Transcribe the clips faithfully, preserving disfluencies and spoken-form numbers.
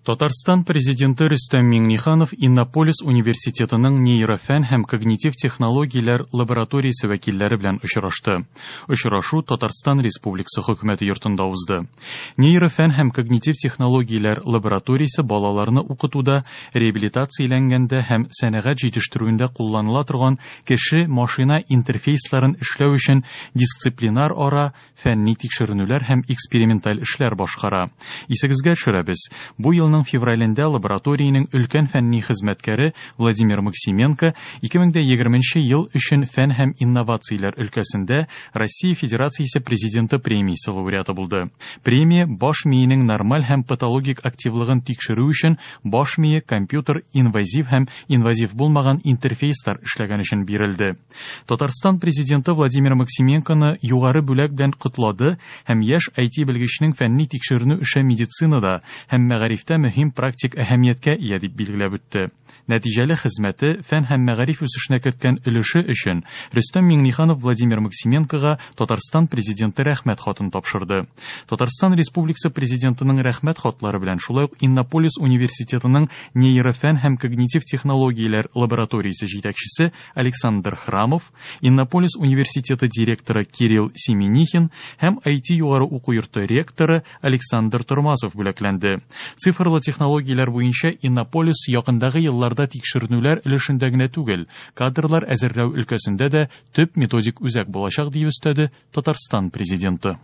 Татарстан Президенты Рөстәм Миңнеханов Иннополис университетының нейрофән һәм когнитив технологияләр лабораториясе вәкилләре белән очрашты. Очрашу Татарстан Республикасы хөкүмәте йортында узды. Нейрофән һәм когнитив технологияләр лабораториясе балаларны укытуда, реабилитацияләнгәндә һәм сәнәгать җитештерүендә кулланыла торган кеше-машина интерфейсларын эшләү өчен дисциплинар ара фәнни тикшеренүләр һәм эксперименталь эшләр башкара. Исегезгә төшерәбез, бу елның февралендә лабораториянең өлкән фәнни хезмәткәре Владимир Максименко ике мең дә егерменче ел өчен фән һәм инновацияләр өлкәсендә Россия Федерациясе Президенты премиясе лауреаты булды. Премия баш миенең нормаль һәм патологик активлыгын тикшерү өчен баш мие компьютер инвазив һәм инвазив булмаган интерфейслар эшләгән өчен бирелде. Татарстан Президенты Владимир Максименконы югары бүләк белән котлады һәм яшь ай ти белгечнең фәнни тикшеренү эше медицинада һәм мәгарифтә мөһим практик әһәмияткә ия дип билгеләп үтте. Нәтиҗәле хезмәте фән һәм мәгариф үсешенә керткән өлеше өчен Рөстәм Миңнеханов Владимир Максименкога Татарстан Президенты рәхмәт хатын тапшырды. Татарстан Республикасы Президентының рәхмәт хатлары белән шулай ук Иннополис университетының нейрофән һәм когнитив технологияләр лабораториясе җитәкчесе Александр Храмов, Иннополис университеты директоры Кирилл Семенихин һәм ай ти югары уку йорты ректоры Александр Тормасов бүләкләнде. Цифрлы технологияләр буенча Иннополис якындагы елларда тикшеренүләр өлешендә генә түгел, кадрлар әзерләү өлкәсендә дә төп методик үзәк булачак дип өстәде Татарстан Президенты.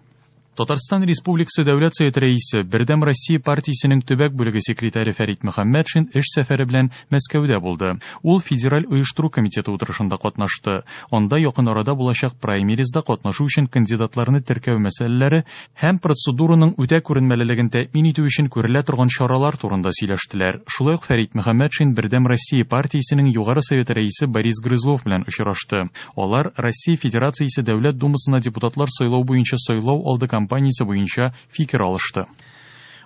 Татарстан Республикасы Дәүләт Советы рәисе, Бердәм Россия партиясенең төбәк бүлеге секретаре Фәрит Мөхәммәтшин эш сәфәре белән Мәскәүдә булды. Ул Федераль оештыру комитеты утырышында катнашты. Анда якын арада булачак праймеризда катнашу өчен кандидатларны теркәү мәсьәләләре һәм процедураның үтә күренмәлелеген тәэмин итү өчен күрелә торган чаралар турында сөйләштеләр. Шулай ук Фәрит Мөхәммәтшин Бердәм Россия партиясенең Югары Советы рәисе Борис Грызлов белән очрашты. Алар Россия Федерациясе Дәүләт Думасына депутатлар сайлау буенча сайлау алды кампаниясе буенча фикер алышты.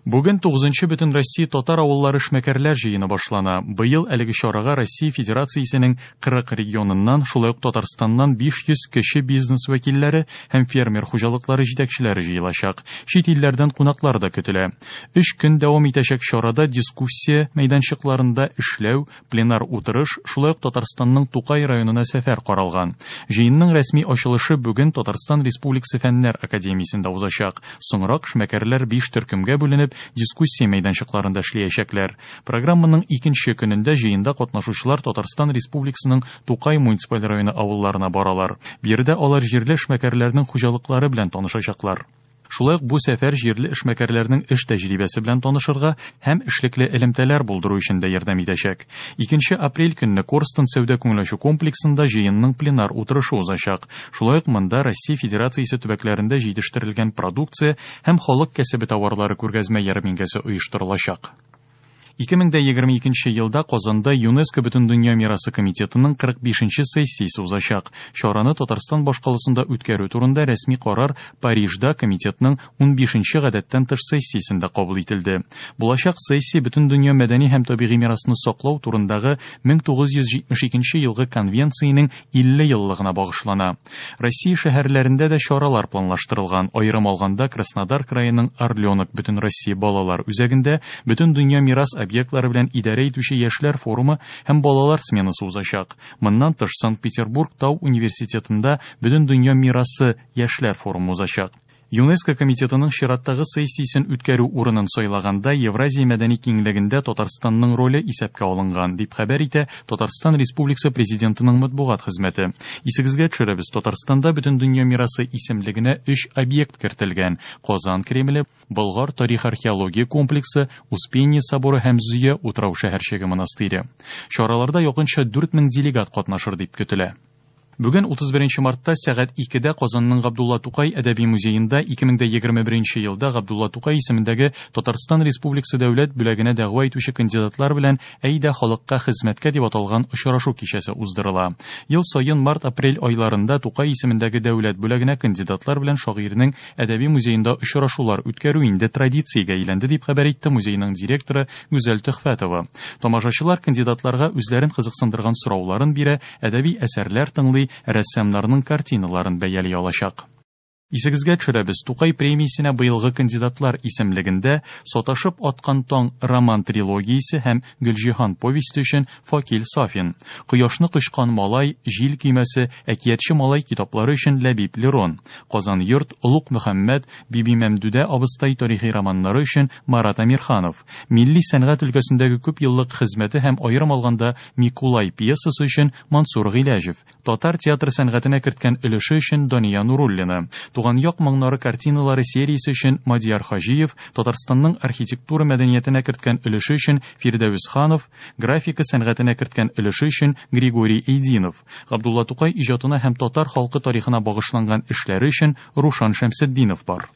Бүген тугызынчы Бөтен Россия татар авыллары эшмәкәрләр җыены башлана. Быел әлеге чарага Россия Федерациясенең кырык регионыннан, шулай ук Татарстаннан биш йөз кеше бизнес вәкилләре һәм фермер хуҗалыклары җитәкчеләре җыелачак. Чит илләрдән кунаклар да көтелә. Өч көн дәвам итәчәк чарада дискуссия мәйданчыкларында эшләү, пленар утырыш, шулай ук Татарстанның Тукай районына сәфәр каралган. Җыенның рәсми ачылышы бүген Татарстан Республикасы Фәннәр академиясендә узачак. Соңрак эшмәкәрләр биш төркемгә бүленеп дискуссия мәйданчыкларында эшләячәкләр. Программаның икенче көнендә җыенда катнашучылар Татарстан Республикасының Тукай муниципаль районы авылларына баралар. Биредә алар җирле эшмәкәрләрнең хуҗалыклары белән танышачаклар. Шулай ук бу сәфәр җирле эшмәкәрләрнең эш тәҗрибәсе белән танышырга һәм эшлекле элемтәләр булдыру өчен дә ярдәм итәчәк. Икенче апрель көнне Корстон сәүдә күңел ачу комплексында җыенның пленар утырышы узачак. Шулай ук монда Россия Федерациясе төбәкләрендә җитештерелгән продукция һәм халык кәсебе товарлары күргәзмә ярминкәсе оештырылачак. Ике мең дә егерме икенче елда Казанда ЮНЕСКО Бөтендөнья мирасы комитетының кырык бишенче сессиясе узачак. Чараны Татарстан башкаласында үткәрү турында рәсми карар Парижда комитетның унбишенче гадәттән тыш сессиясендә кабул ителде. Булачак сессия Бөтендөнья мәдәни һәм табигый мирасны саклау турындагы мең тугыз йөз җитмеш икенче елгы конвенциянең илле еллыгына багышлана. Россия шәһәрләрендә дә чаралар планлаштырылган. Аерым алганда Краснодар краеның Орленок Бөтенроссия балалар үзәгендә Бөтендөнья мирас объектлары белән идарә итүче яшьләр форумы һәм балалар сменасы узачак. Моннан тыш Санкт-Петербург Тау университетында Бөтендөнья мирасы яшьләр форумы узачак. ЮНЕСКО комитетының чираттагы сессиясен үткәрү урынын сайлаганда Евразия мәдәни киңлегендә Татарстанның роле исәпкә алынган, дип хәбәр итә Татарстан Республикасы Президентының матбугат хезмәте. Исегезгә төшерәбез, Татарстанда Бөтендөнья мирасы исемлегенә өч объект кертелгән: Казан Кремле, Болгар тарих-археология комплексы, Успение соборы һәм Зөя утрау шәһәрчеге монастыре. Чараларда якынча дүрт мең делегат катнашыр дип көтелә. Бүген утыз беренче мартта сәгать икедә Казанның Габдулла Тукай әдәби музеенда ике мең дә егерме беренче елда Габдулла Тукай исемендәге Татарстан Республикасы дәүләт бүләгенә дәгъва итүче кандидатлар белән Әйдә халыкка хезмәткә дип аталган очрашу кичәсе уздырыла. Ел саен март-апрель айларында Тукай исемендәге дәүләт бүләгенә кандидатлар белән шагыйрьнең әдәби музеенда очрашулар үткәрү инде традициягә әйләнде, дип хәбәр итте музейның директоры Гүзәл Төхфәтова. Тамашачылар кандидатларга үзләрен кызыксындырган сорауларын бирә, әдәби әсәрләр тыңлый, рәссамнарның картиналарын бәяли алачак. Исегезгә төшерәбез, Тукай премиясенә быелгы кандидатлар исемлегендә Саташып аткан таң роман трилогиясе һәм Гөлҗиһан повесте өчен Факил Сафин, Кояшны кочкан малай, Җил көймәсе, Әкиятче малай китаплары өчен Ләбиб Лерон, Казан йорт, Олуг Мөхәммәд, Бибимәмдүдә абыстай тарихи романнары өчен Марат Әмирханов, милли сәнгать өлкәсендәге күп еллык хезмәте һәм аерым алганда Микулай пьесасы өчен Мансур Гыйләҗев, татар театр сәнгатенә керткән өлеше өчен Дания Нуруллина, Туган як моңнары картиналары сериясе өчен Мадияр Хаҗиев, Татарстанның архитектура мәдәниятенә керткән өлеше өчен Фирдәвес Ханов, графика сәнгатенә керткән өлеше өчен Григорий Эйдинов, Габдулла Тукай иҗатына һәм татар халкы тарихына багышланган эшләре өчен Рушан Шәмсетдинов бар.